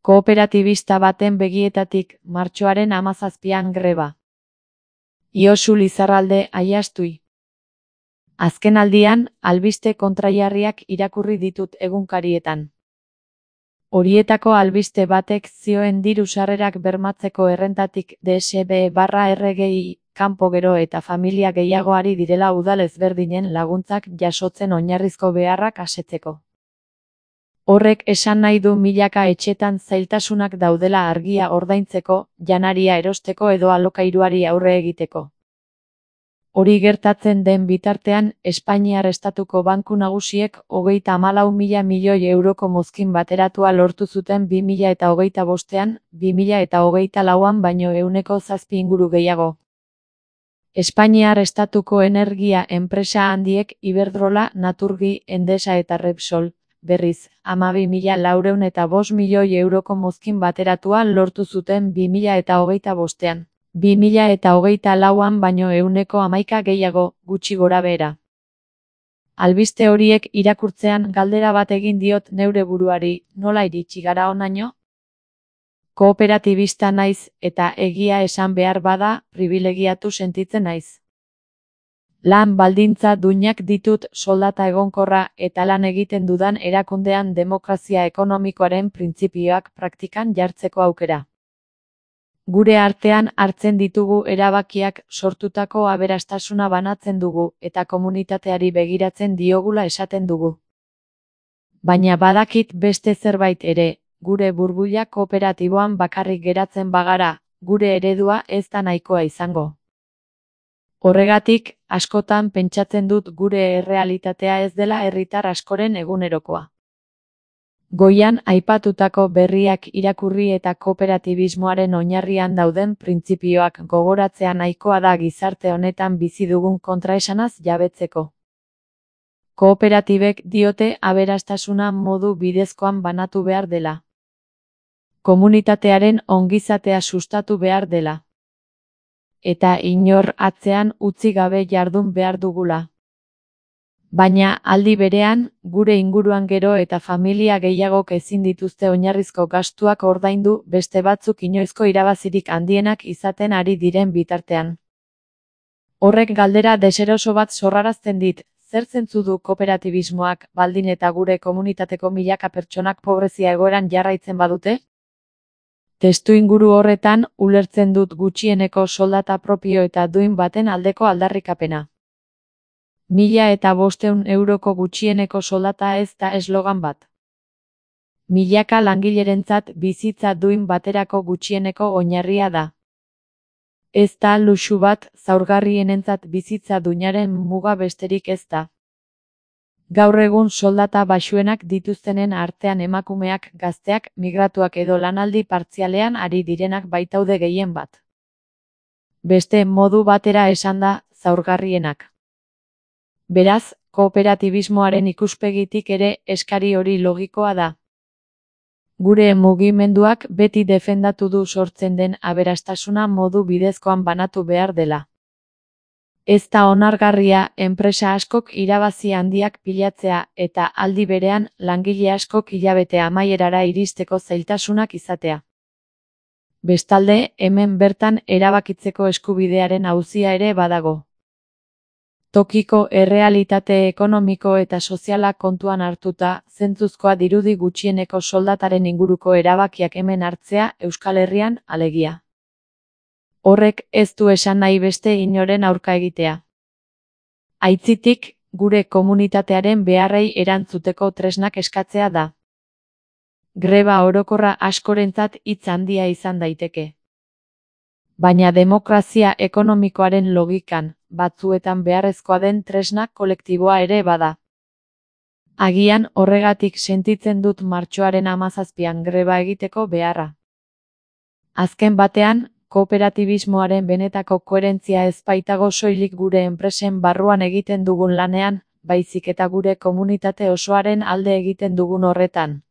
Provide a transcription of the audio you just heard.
Kooperatibista baten begietatik, martxoaren 17an greba. Josu Lizarralde Aiastui. Azken aldian, albiste kontrajarriak irakurri ditut egunkarietan. Horietako albiste batek zioen diru sarrerak bermatzeko errentatik DSB/RGI kanpo gero eta familia gehiagoari direla udal ezberdinen laguntzak jasotzen oinarrizko beharrak asetzeko. Horrek esan nahi du milaka etxetan zailtasunak daudela argia ordaintzeko, janaria erosteko edo alokairuari aurre egiteko. Hori gertatzen den bitartean, Espainiar Estatuko Banku Nagusiek 34.000 milioi euroko mozkin bateratua lortu zuten 2025ean, 2024an baino 7% inguru gehiago. Espainiar Estatuko energia enpresa handiek Iberdrola, Naturgi, Endesa eta Repsol, berriz, 12.405 milioi euroko mozkin bateratua lortu zuten 2025ean. 2024an baino 11% gehiago, gutxi gorabehera. Albiste horiek irakurtzean galdera bat egin diot neure buruari, nola iritsi gara honaino? Kooperatibista naiz, eta egia esan behar bada, pribilegiatu sentitzen naiz. Lan baldintza duinak ditut, soldata egonkorra, eta lan egiten dudan erakundean demokrazia ekonomikoaren printzipioak praktikan jartzeko aukera. Gure artean hartzen ditugu erabakiak sortutako aberastasuna banatzen dugu eta komunitateari begiratzen diogula esaten dugu. Baina badakit beste zerbait ere, gure burbuila kooperatiboan bakarrik geratzen bagara, gure eredua ez da nahikoa izango. Horregatik, askotan pentsatzen dut gure errealitatea ez dela herritar askoren egunerokoa. Goian aipatutako berriak irakurri eta kooperatibismoaren oinarrian dauden printzipioak gogoratzea nahikoa da gizarte honetan bizi dugun kontraesanaz jabetzeko. Kooperatibek diote aberastasuna modu bidezkoan banatu behar dela. Komunitatearen ongizatea sustatu behar dela. Eta inor atzean utzi gabe jardun behar dugula. Baina, aldi berean, gure inguruan gero eta familia gehiagok ezin dituzte oinarrizko gastuak ordaindu beste batzuk inoizko irabazirik handienak izaten ari diren bitartean. Horrek galdera deseroso bat sorrarazten dit, zer zentzu du kooperatibismoak, baldin eta gure komunitateko milaka pertsonak pobrezia egoeran jarraitzen badute? Testuinguru horretan, ulertzen dut gutxieneko soldata propio eta duin baten aldeko aldarrikapena. 1.500 euroko gutxieneko soldata ez da eslogan bat. Milaka langilerentzat bizitza duin baterako gutxieneko oinarria da. Ez da luxu bat, zaurgarrienentzat bizitza duinaren muga besterik ez da. Gaur egun soldata baxuenak dituztenen artean emakumeak, gazteak, migratuak edo lanaldi partzialean ari direnak baitaude gehien bat. Beste modu batera esanda, zaurgarrienak. Beraz, kooperatibismoaren ikuspegitik ere eskari hori logikoa da. Gure mugimenduak beti defendatu du sortzen den aberastasuna modu bidezkoan banatu behar dela. Ez da onargarria enpresa askok irabazi handiak pilatzea eta aldi berean langile askok hilabete amaierara iristeko zailtasunak izatea. Bestalde, hemen bertan erabakitzeko eskubidearen auzia ere badago. Tokiko errealitate ekonomiko eta soziala kontuan hartuta, zentzuzkoa dirudi gutxieneko soldataren inguruko erabakiak hemen hartzea Euskal Herrian, alegia. Horrek ez du esan nahi beste inoren aurka egitea. Aitzitik, gure komunitatearen beharrei erantzuteko tresnak eskatzea da. Greba orokorra askorentzat hitz handia izan daiteke. Baina demokrazia ekonomikoaren logikan, batzuetan beharrezkoa den tresna kolektiboa ere bada. Agian horregatik sentitzen dut martxoaren 17an greba egiteko beharra. Azken batean, kooperatibismoaren benetako koherentzia ez baitago soilik gure enpresen barruan egiten dugun lanean, baizik eta gure komunitate osoaren alde egiten dugun horretan.